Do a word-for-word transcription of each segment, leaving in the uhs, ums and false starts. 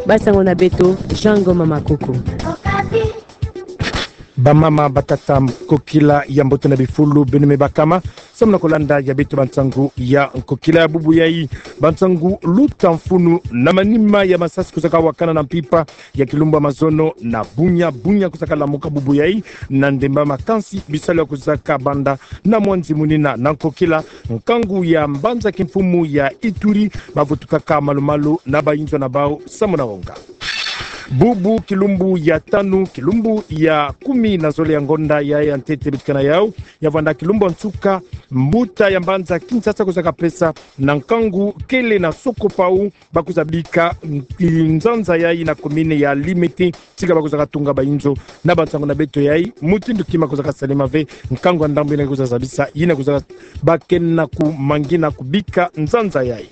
Ba sango na beto, Jean Ngoma Makoko. Bamama, batata, nkokila ya mbote na bifulu, beno me bakama samu na kolanda ya beto bansangu ya nkokila ya bubu yai. Bansangu luta mfunu na manima ya masasi kusaka wakana na mpimpa ya kilumbu ya mazono na Bunia. Bunia kusaka lamuka bubu yai na ndemba, kansi bisalu ya kusaka banda na mwanzi munina na nkokila, nkangu ya mbanza kimfumu ya Ituri bavutukaka malu-malu na bayinzo na bau samu na wonga. Bubu kilumbu ya tanu, kilumbu ya kumi na zole ya ngonda ya, ya ntete beto ke na yau, ya vwanda kilumbu ya nsuka, mbuta ya mbanza Kinshasa kusaka pesa na nkangu kele na Sokopau, ba kusa bika, mm, nzanza yai na commune ya Limete, tika ba kusaka tunga bayinzo. Na bansangu na beto yai, mutindu kima kusaka salema ve, nkangu ya ndambu yina kusa zabisa, yina kusa ba ke na kumangina kubika nzanza yai.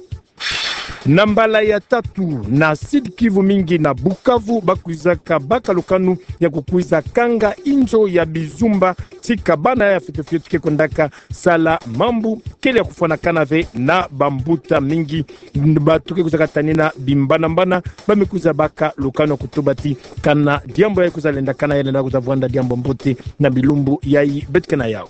Na mbala ya tatu, na Sud-Kivu, mingi na Bukavu, ba kwisaka baka lukanu ya kukwiza kanga inzo ya bizumba, tika bana ya fioti-fioti ke kwendaka sala mambu kele ya kufwanakana ve na bambuta mingi. Bantu ke kwisaka tanina bimbana-mbana, ba me kwiza baka lukanu ya kutuba ti kana diambu yai kwiza lendakana, ya lenda kwiza vwanda diambu ya mbote na bilumbu yai beto ke na yau.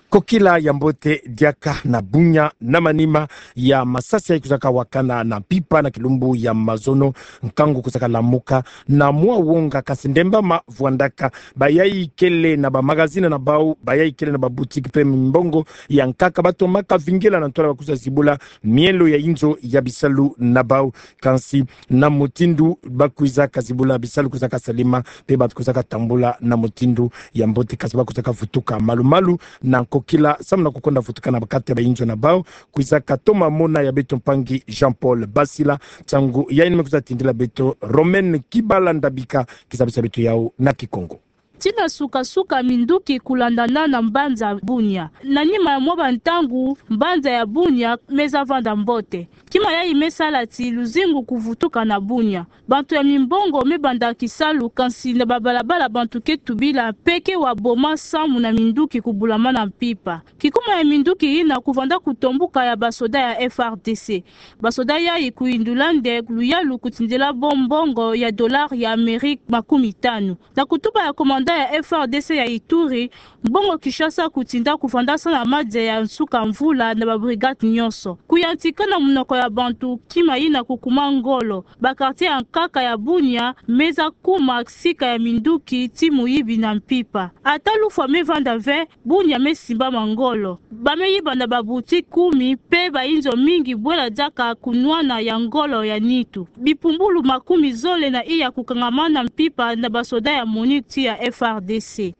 Nkokila ya mbote, diaka na Bunia, na manima ya masasi yai kusaka wakana na mpimpa na kilumbu ya mazono, nkangu kusaka lamuka na mwa wonga, kansi ndemba ma vwandaka. Bayai kele na bamagazini na bau, bayai kele na baboutique mpe mimbongo ya nkaka, batomaka vingila na ntwala ba kwiza zibula mielo ya inzo ya bisalu na bau. Kansi na mutindu ba kwisaka zibula, bisalu kusaka salema, mpe bantu kusaka tambula na mutindu ya mbote, kansi ba kusaka vutuka malu-malu na nkokila samu na kukonda vutuka na ba kati ya bayinzo na bau. Kwisaka toma mona ya beto mpangi Jean-Paul Basila, nsangu yai ni me kwiza tindila beto Romaine Kibala Ndabika, kizabisa beto yau na Kikongo. Tii na suka-suka minduki kulandana na mbanza Bunia. Na nima ya mwa bantangu, mbanza ya Bunia me za vanda mbote. Kima yai me sala ti luzingu kuvutuka na Bunia. Bantu ya mimbongo me banda kisalu, kansi na babalabala bantu ke tubila mpe ke wa boma samu na minduki kubulama na mpimpa. Kikuma ya minduki yina kuvanda kutombuka ya basoda ya F R D C. Basoda yai kuyindula nde luyalu kutindila bo mbongo ya dollar ya Amérique makumi tanu. Na kutuba ya commandant ya F R D C ya Ituri, mbongo Kinshasa kutinda kuvanda sa na madia ya nsuka mvula na ba brigade nyonso. Kuyantika na munoko ya bantu, kima yina kukuma ngolo. Ba quartier ya nkaka ya Bunia me za kuma sika ya minduki ti muyibi na mpimpa. Ata lufwa me vanda ve, Bunia me simbama ngolo. Ba me yiba na baboutique kumi mpe bayinzo mingi bwela diaka kunwana ya ngolo ya nitu. Bipumbulu makumi zole na iya kukangama na mpimpa na basoda ya MONUC ti ya F R D C.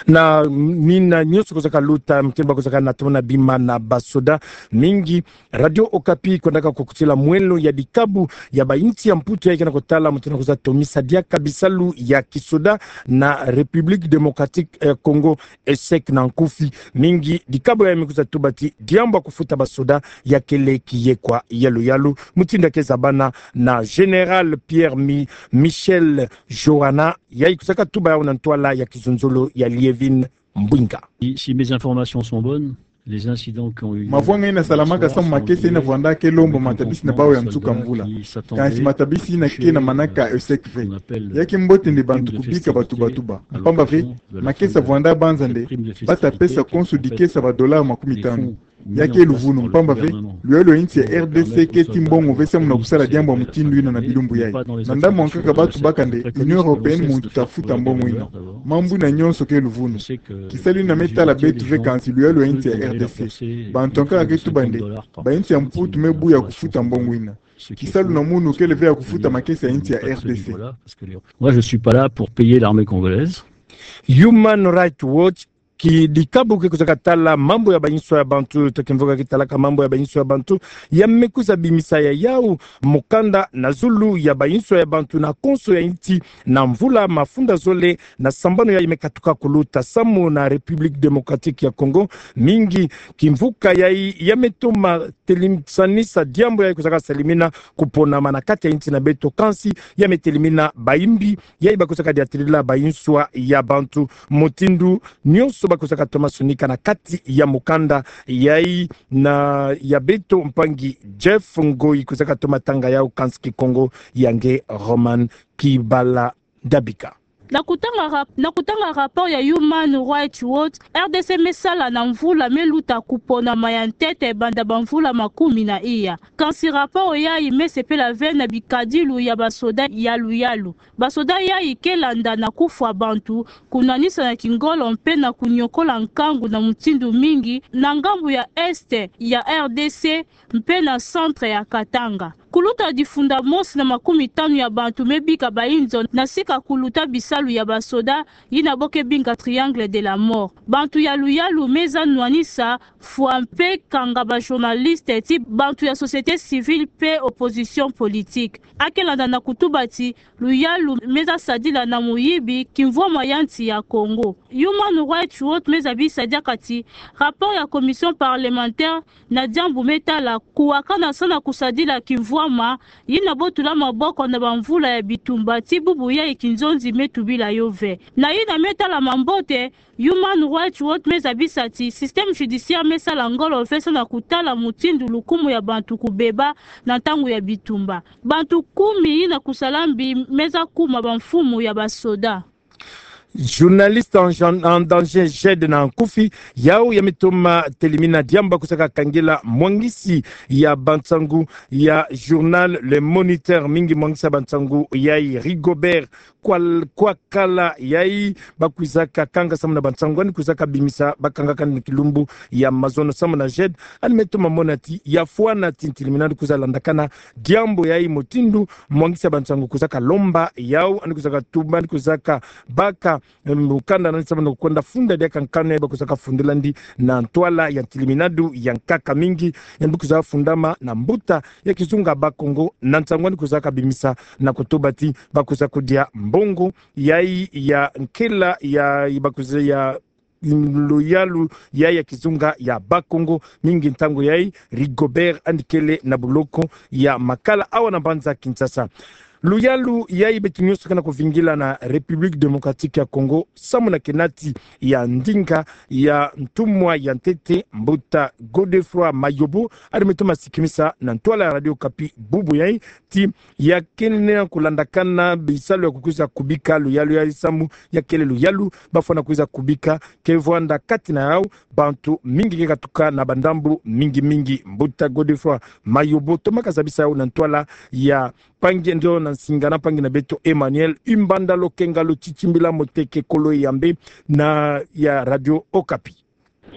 Na mina nyonso kusaka luta, mkemba kusaka na toma na bima na basoda mingi. Radio Okapi kwendaka kukutila mwelo ya dikabu ya bainsi ya Mputu yai ke na kutala mutindu ya kwiza tomisa diaka bisalu ya kisoda na République Démocratique, eh, Congo, ESSEC na nkufi. Mingi dikabu yai me kwiza tuba ti diambu ya kufuta basoda ya kele kiyekwa yalu-yalu. Mutindu ya ke zabana na Général Pierre Mi-, Michel Johanna, yai kusaka tuba yau na ntwala ya kizunzolo ya Liévin Mbwinga. Si, si mes informations sont bonnes, les incidents qui ont eu lieu... Mavwanga yina salamaka samu makesa yina vwanda ke lomba matabisi na bau ya nsuka mvula. Kansi matabisi yina ke na manaka ESSEC ve. Ya ke mbote nde bantu kubika batuba-tuba. Mpamba ve, makesa vwanda banza nde bata pesa konso dikesa ba dollars makumi tanu. Ya ke luvunu, mpamba ve luyalu ya insi ya R D C ke ti mbongo ve samu na kusala diambu ya mutindu yina na bilumbu yai. Na ndambu ya nkaka batu baka nde Union Européenne muntu ta futa mbongo yina. Mambu yina nyonso ke luvunu. Kisalu yina me tala beto ve, kansi luyalu ya insi ya R D C. Bantu ya nkaka ke tuba nde bainsi ya Mputu me buya kufuta mbongo yina. Kisalu na munu kele ve ya kufuta makesa ya insi ya R D C. Moi, je suis pas là pour payer l'armée congolaise. Human Rights Watch, ki dikabu ke kuzaka tala mambu ya bainso ya bantu, to kimvuka ki talaka mambu ya bainso ya bantu, ya me kuza bimisa ya yau mukanda na zulu ya bainso ya bantu na konso ya insi, na mvula mafunda zole na sambanu yayi me katuka kuluta samu na République Démocratique ya Congo. Mingi kimvuka yayi ya me toma telim-, sanisa diambu yayi kwizaka salimina kuponama na kati ya insi na beto, kansi ya me telimina bayimbi yayi bakwizaka diatilila bayinswa ya bantu. Mutindu nyonso bakwizaka toma sonika na kati ya mukanda yayi na ya beto, mpangi Jeff Ngoyi kwizaka toma tanga yawu, kansi Kikongo ya nge Roman Kibala Dabika. Na kutanga rap-, na kutanga rapport ya Human Rights Watch, R D C me sala na mvula me luta kuponama ya ntete banda bamvula makumi na iya. Kansi rapport yayi me sepela ve na bikadilu ya basoda ya Luyalu. Basoda yayi ke landa na kufwa bantu, kunwanisa na kingolo mpe na kunyokola nkangu na mutindu mingi na ngambu ya Est ya R D C mpe na Centre ya Katanga. Kuluta difunda mosi na makumi tanu ya bantu me bika bayinzo na sika kuluta bisalu ya basoda yina bo ke binga Triangle de la Mort. Bantu ya Luyalu me za nwanisa, fwa mpe kanga ba journaliste ti bantu ya société civile mpe opposition politique. A ke landa na kutuba ti Luyalu me za sadila na muyibi kimvwama ya nsi ya Kongo. Human Rights Watch me zabisa diaka ti rapport ya commission parlementaire na diambu me tala kuwakana sana kusadila kimvwama yina bo tula maboko na bamvula ya bitumba ti bubu yayi kinzonzi me tubila yo ve. Na yina me tala mambote, Human Rights Watch me zabisa ti système judiciaire me sala ngolo ve sana kutala mutindu lukumu ya bantu kubeba na ntangu ya bitumba. Bantu kumi yina kusala mbi me za kuma bamfumu ya basoda. Journaliste en, en danger, Jed Nankufi, yawu ya me toma telimina diambu bakwizaka kangila mwangisi ya bansangu ya journal Le Moniteur, mingi mwangisi ya bansangu yayi Rigobert Kwal-, Kwakala, yayi bakwizaka kanga samu na bansangu yandi kwizaka bimisa, bakangaka yandi na kilumbu ya mazono. Samu na Jed, yandi me toma mona ti ya fwana ti ntilimina yandi kwiza landakana diambu yayi mutindu mwangisi ya bansangu kwizaka lomba yawu, yandi kwizaka tuba, yandi kwizaka baka, em, mukanda na yandi samu na kwenda funda diaka nkanu yayi bakwizaka fundila yandi na ntwala ya ntiliminadu ya nkaka mingi. Yandi kwiza fundama na mbuta ya kizunga Bakongo, na nsangu yandi kwizaka bimisa na kutuba ti bakwiza kudia mbongo yayi ya nkela ya, bakwiza ya, mm, Luyalu yayi ya kizunga ya Bakongo, mingi ntangu yayi Rigobert yandi kele na buloko ya Makala awa na mbanza Kinshasa. Luyalu yayi beto nyonso ke na kuvingila na République Démocratique ya Congo, samu na kenati ya ndinga ya ntumwa ya ntete, mbuta Godefroid Mayobo, yandi me toma sikimisa na ntwala ya Radio Okapi bubu yayi ti ya kele na kulandakana bisalu ya kukwiza kubika luyalu yayi, samu ya kele luyalu bafwana kwiza kubika ke vwanda kati na yawu bantu mingi ke katuka na bandambu mingi mingi. Mbuta Godefroid Mayobo, tomaka zabisa yawu na ntwala ya mpangi ndio na nsinga na mpangi na beto Emmanuel Imbanda Lokenga Lotitimbila Moteke Kolo Eyambe na ya Radio Okapi.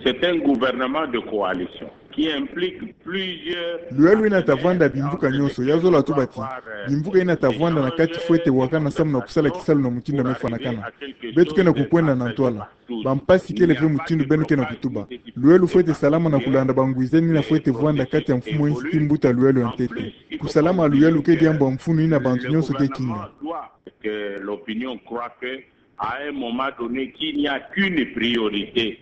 C'est un gouvernement de coalition qui implique plusieurs... Luyalu yina ta vwanda bimvuka nyonso, ya zola tuba ti bimvuka yina ta vwanda na kati fwete wakana samu na kusala kisalu na mutindu ya me fwanakana. Beto ke na kukwenda na ntwala. Bampasi kele ve mutindu beno ke na kutuba. Luyalu fwete salama na kulanda bangwizani yina fwete vwanda kati ya mfumu ya nsi ti mbuta luyalu ya ntete. Kusalama luyalu ke diambu ya mfunu yina bantu nyonso ke kinga. Que l'opinion croit que, à un moment donné, qu'il n'y a qu'une priorité.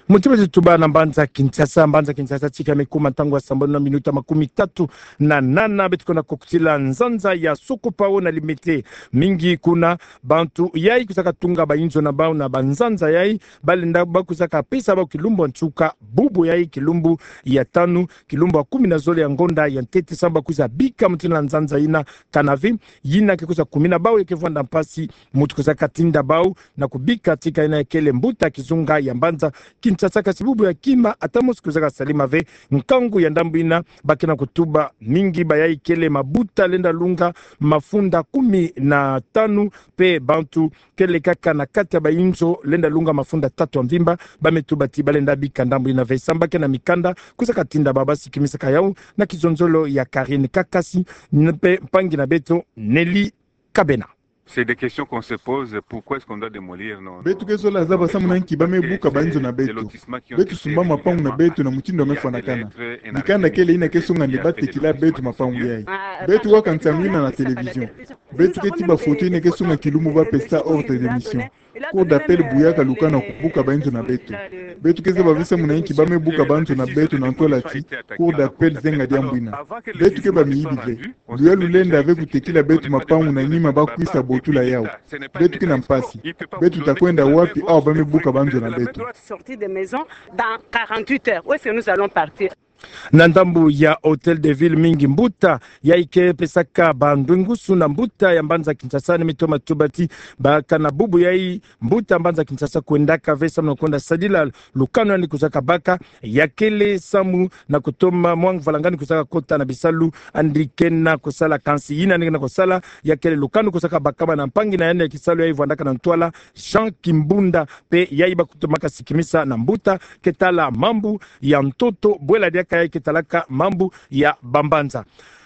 Muti beto tuba na mbanza Kinshasa, mbanza Kinshasa tika me kuma ntangu ya sambanu na minuta makumi tatu na nana, beto ke na kukutila nzanza ya Sokopao na Limete. Mingi kuna bantu yayi kwizaka tunga bayinzo na bawu na banzanza yayi, balenda bakwizaka pesa bawu kilumbu ya nsuka, bubu yayi kilumbu ya tanu, kilumbu ya kumi na zole ya ngonda ya ntete, samu bakwiza bika mutindu na nzanza yina, kana ve yina ke kwiza kumina bawu, ya ke vwanda mpasi mutu kwizaka tinda bawu na kubika tika yina ya kele mbuta kizunga ya mbanza Kinshasa. Kasi bubu ya kima, ata mosi kwizaka salama ve. Nkangu ya ndambu yina, ba ke na kutuba mingi bayayi kele mabuta lenda lunga mafunda kumi na tanu, mpe bantu kele kaka na kati ya bayinzo lenda lunga mafunda tatu ya mvimba, ba me tuba ti balenda bika ndambu yina ve, samu ba ke na mikanda kwizaka tinda bawu. Ba sikimisaka yawu na kizonzolo ya Karine Kakasi, mpe mpangi na beto Nelly Kabena. C'est des questions qu'on se pose, pourquoi est-ce qu'on doit démolir nos... Beto ke zola zaba samu na nki ba me buka bayinzo na beto. Beto sumba mapangu na beto na mutindu ya me fwanakana. Mikanda kele yina ke songa nde ba tekila beto mapangu yayi. Beto waka nsangu yina na télévision. Beto keti bafoto yina ke songa kilumbu ba pesa ordre de mission. Cour d'appel buyaka lukanu ya kubuka bainzo na beto. Beto ke zaba ve samu na inki ba me buka banzo na beto na ntwala ti Cour d'appel zenga diambu ina. Beto ke bamiyibi ve. Luyalu lenda ve kutekila beto mapangu na nima ba kwisa botula yawu. Beto ke na mpasi. Beto ta kwenda wapi awa ba me buka banzo na beto? Na ndambu ya Hôtel de Ville, mingi mbuta yayi ke pesaka bandwengusu na mbuta ya mbanza Kinshasa ne me toma tuba ti bakana bubu yayi mbuta mbanza Kinshasa kwendaka ve samu na kwenda sadila lukanu yandi kwizaka baka, ya kele samu na kutoma mwanga valanga yandi kwizaka kota na bisalu yandi ke na kusala. Kansi yina yandi ke na kusala ya kele lukanu kwizaka bakama na mpangi na yandi ya kisalu yayi vwandaka na ntwala Jean Kimbunda, mpe yayi ba kutomaka sikimisa na mbuta ke tala mambu ya ntoto, bwela diaka yayi ke talaka mambu ya bambanza.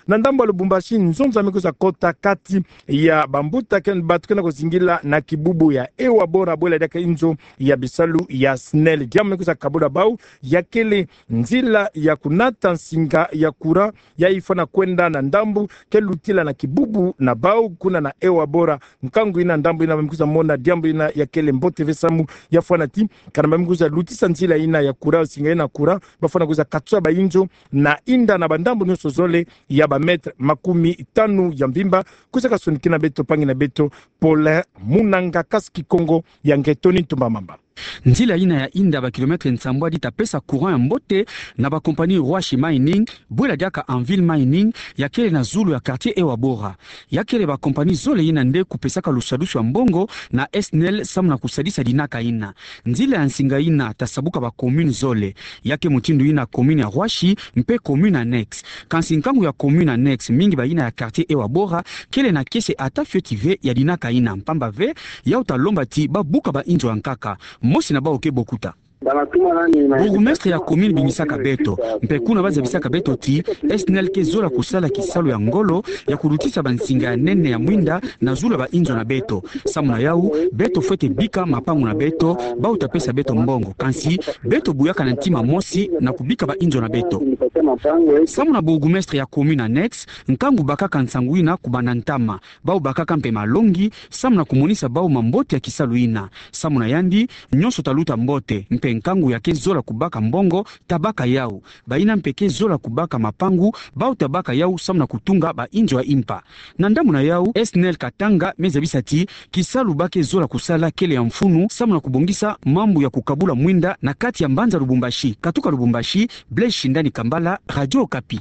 Na ndambu ya Lubumbashi, nzonza me kwiza kota kati ya bambuta ke, bato ke na kuzingila na kibubu ya Ewa Bora, bwela diaka inzo ya bisalu ya SNEL. Diambu me kwiza kabula bawu ya kele nzila ya kunata nsinga ya courant yayi fwana kwenda na ndambu ke lutila na kibubu na bawu kuna na Ewa Bora. Nkangu ina, ndambu ina, ba me kwiza mona diambu ina ya kele mbote ve samu ya fwana ti kana ba me kwiza lutisa nzila ina ya courant, nsinga ina courant, ba fwana kwiza katsa bainzo na inda na bandambu nyonso zole ya ba mètre makumi tanu ya mvimba. Kwizaka sonikina beto mpangi na beto Paulin Munanga, kasi Kikongo ya Ngetoni Ntumba Mamba. Nzila ina ya inda ba kilomètre nsambwadi ta pesa courant ya mbote na ba compagnie Rwashi Mining, bwela diaka Anvil Mining, ya kele na zulu ya quartier Ewa Bora. Ya kele ba compagnie zole ina nde kupesaka lusadusu ya mbongo na SNEL samu na kusadisa dinaka ina. Nzila ya nsinga ina ta sabuka ba commune zole, ya ke mutindu ina commune ya Rwashi mpe commune annexe. Kansi nkangu ya commune annexe, mingi ba ina ya quartier Ewa Bora kele na kiese ata fioti ve ya dinaka ina, mpamba ve yawu ta lomba ti ba buka bainzo ya nkaka. Mosi na bawu ke bokuta. Bourgmestre ya commune bimisaka beto, mpe kuna ba zabisaka beto ti SNEL ke zola kusala kisalu ya ngolo ya kulutisa bansinga ya nene ya mwinda na zulu ya bainzo na beto. Samu na yawu, beto fwete bika mapangu na beto, bawu ta pesa beto mbongo. Kansi beto buyaka na ntima mosi na kubika bainzo na beto. Samu na bourgmestre ya commune annexe, nkangu bakaka nsangu ina kubanda ntama, bawu bakaka mpe malongi samu na kumonisa bawu mambote ya kisalu ina. Samu na yandi, nyonso ta luta mbote, mpe nkangu ya ke zola kubaka mbongo ta baka yawu. Ba ina mpe ke zola kubaka mapangu, bawu ta baka yawu samu na kutunga bainzo ya impa. Na ndambu na yawu, SNEL Katanga me zabisa ti kisalu ba ke zola kusala kele ya mfunu samu na kubongisa mambu ya kukabula mwinda na kati ya mbanza Lubumbashi. Katuka Lubumbashi, Blaise Shindani Kambala, Radio Okapi.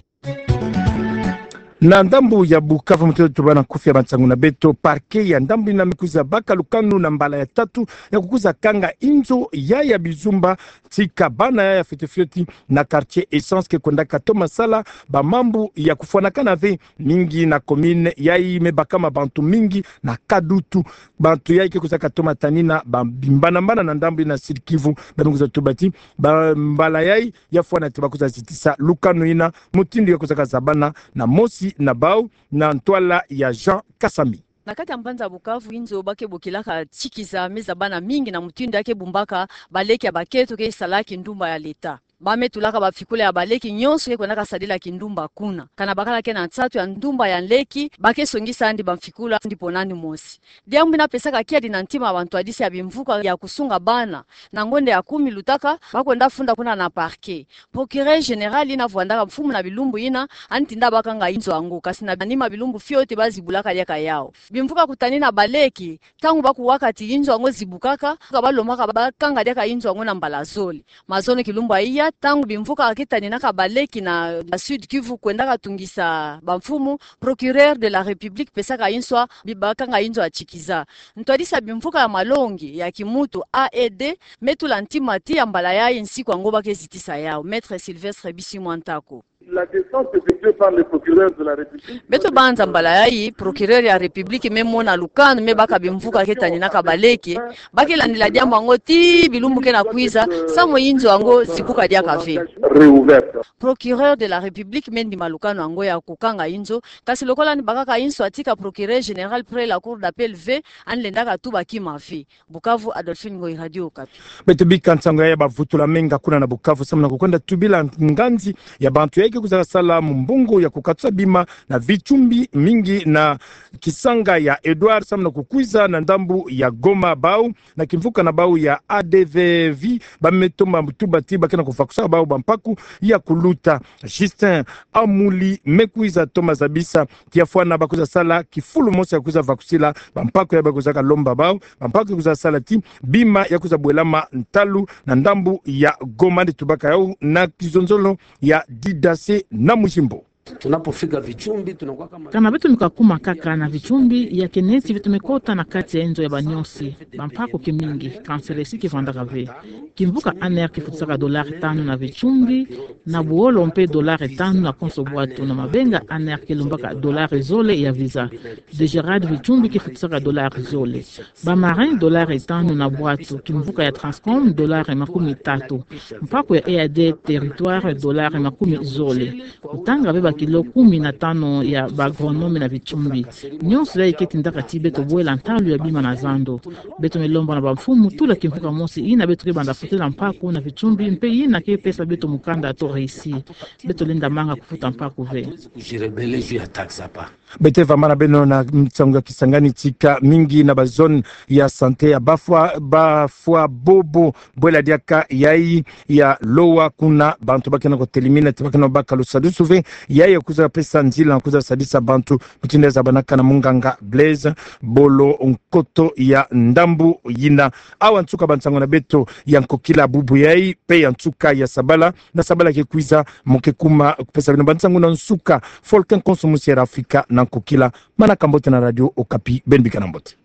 Na ndambu ya Bukavu, mutoto tubana nkufi ya bansangu na beto, parquet ya ndambu ina me kwiza baka lukanu na mbala ya tatu ya kukwiza kanga inzo ya ya bizumba tika bana ya ya fioti fioti na quartier Essence ke kwendaka toma sala bamambu ya kufwanakana ve mingi na commune yayi me bakama bantu mingi na Kadutu. Bantu yayi ke kwizaka toma tanina ba bimbana mbana na ndambu ina Sud-Kivu, ba me kwiza tuba ti ba mbala yayi ya fwana ti ba kwiza zitisa lukanu ina mutindu ya kwizaka zabana na mosi na bawu na ntwala ya Jean Kasami. Na kati ya mbanza Bukavu, inzo ba ke bokilaka Tshikiza me zabana mingi na mutindu ya ke bumbaka baleki ya baketo ke sala kindumba ya leta. Ba me tulaka bamfikula ya baleki nyonso ke kwendaka sadila kindumba kuna. Kana bakala ke na nsatu ya ndumba ya nleki, ba ke songisa yandi bamfikula yandi pona yandi mosi. Diambu ina pesaka kiadi na ntima ya bantwadisi ya bimvuka ya kusunga bana. Na ngonda ya kumi lutaka, ba kwenda funda kuna na parquet. Procureur général ina vwandaka mfumu na bilumbu ina, yandi tinda ba kanga inzo yango, kansi na nima bilumbu fioti ba zibulaka diaka yawu. Bimvuka kutanina baleki, ntangu ba kuwaka ti inzo yango zibukaka, ka ba lomaka ba kanga diaka inzo yango na mbala zole. Mazono kilumbu ya iya, ntangu bimvuka ke taninaka baleki na, na Sud-Kivu kwendaka tungisa bamfumu, Procureur de la République pesaka nswa bi ba kanga inzo ya Tshikiza. Ntwadisi ya bimvuka ya malongi ya kimuntu, A E D, me tula ntima ti ya mbala yayi nsiku yango ba ke zitisa yawu. Maître Sylvestre Bisimwa Ntako. La descente effectuée par le procureur de la République. Beto banza mbala yayi, procureur ya République me mona lukanu me baka bimvuka ke taninaka baleki, ba ke landila diambu yango tii bilumbu ke na kwiza, samu inzo yango zibuka diaka ve. réouverte. Procureur de la République meni malukano yango ya kukanga inzo, kasi lokola ni bakaka inso atika procureur général près la cour d'appel ve, ani lendaka tuba kima ve. Bukavu, Adolphine Ngoyi, Radio Okapi. Beto bika nsangu ya bavutula menga kuna na Bukavu, samu na kukwenda tubila nganzi ya bantu yayi ke kwizaka sala mumbongo ya kukatusa bima na vitumbi mingi na kisanga ya Edouard, samu na kukwiza na ndambu ya Goma, bau na kimvuka na bau ya A D V V, ba me toma tuba ti ba ke na kuvakusa bau bampaku ya kuluta. Justin Amuli me kwiza toma zabisa ti ya fwana ba kwiza sala kifulu mosi ya kwiza vakusila bampaku ya ba kwizaka lomba bau, bampaku ya kwiza sala ti bima ya kwiza bwelama ntalu na ndambu ya Goma. Nde tubaka yau na kizonzolo ya Didase na Mujimbo. Tunapofika Vichumbi, tunakuwa kama... Kana beto me kakuma kaka na Vichumbi, ya ke neti beto me kota na kati ya inzo ya banyosi. Bampaku ke mingi, kanselesi ke vandaka ve. Kimvuka A N R ke futisaka dolari tanu na Vichumbi, na Buolo mpe dolari tanu na konso bwatu, na Mabenga A N R ke lombaka dolari zole ya visa. Degerad Vichumbi ke futisaka dolari zole. Ba Marins dolari tanu na bwatu, kimvuka ya Transcom dolari makumi tatu. Mpaku ya E A D Territoire dolari makumi zole. Kutanga ve ba kilo kumi na tanu ya ba agronome na Vichumbi. Nyonso yayi ke tindaka ti beto bwela ntalu ya bima na zando. Beto me lomba na bamfumu tula kimvuka mosi yina beto ke banda futela mpaku na Vichumbi, mpe yina ke pesa beto mukanda to récit. Beto lenda manga kufuta mpaku ve. Beto vwamana beno na nsangu ya Kisangani, tika mingi na ba zone ya santé ya Bafwa, Bafwa Bobo, bwela diaka yayi ya Lowa, kuna bantu ba ke na kutelimina ti ba ke na baka lusadusu ve, yayi ya kwiza pesa nzila na kwiza sadisa bantu, mutindu ya zabanaka na munganga Blaise Bolo Nkoto ya ndambu yina. Awa nsuka bansangu na beto ya nkokila bubu yayi, mpe ya nsuka ya sabala, na sabala ke kwiza, mu ke kuma kupesa beno bansangu na nsuka. Folken konso musi ya Afrika na nkokila. Manaka mbote na Radio Okapi, beno bika na mbote.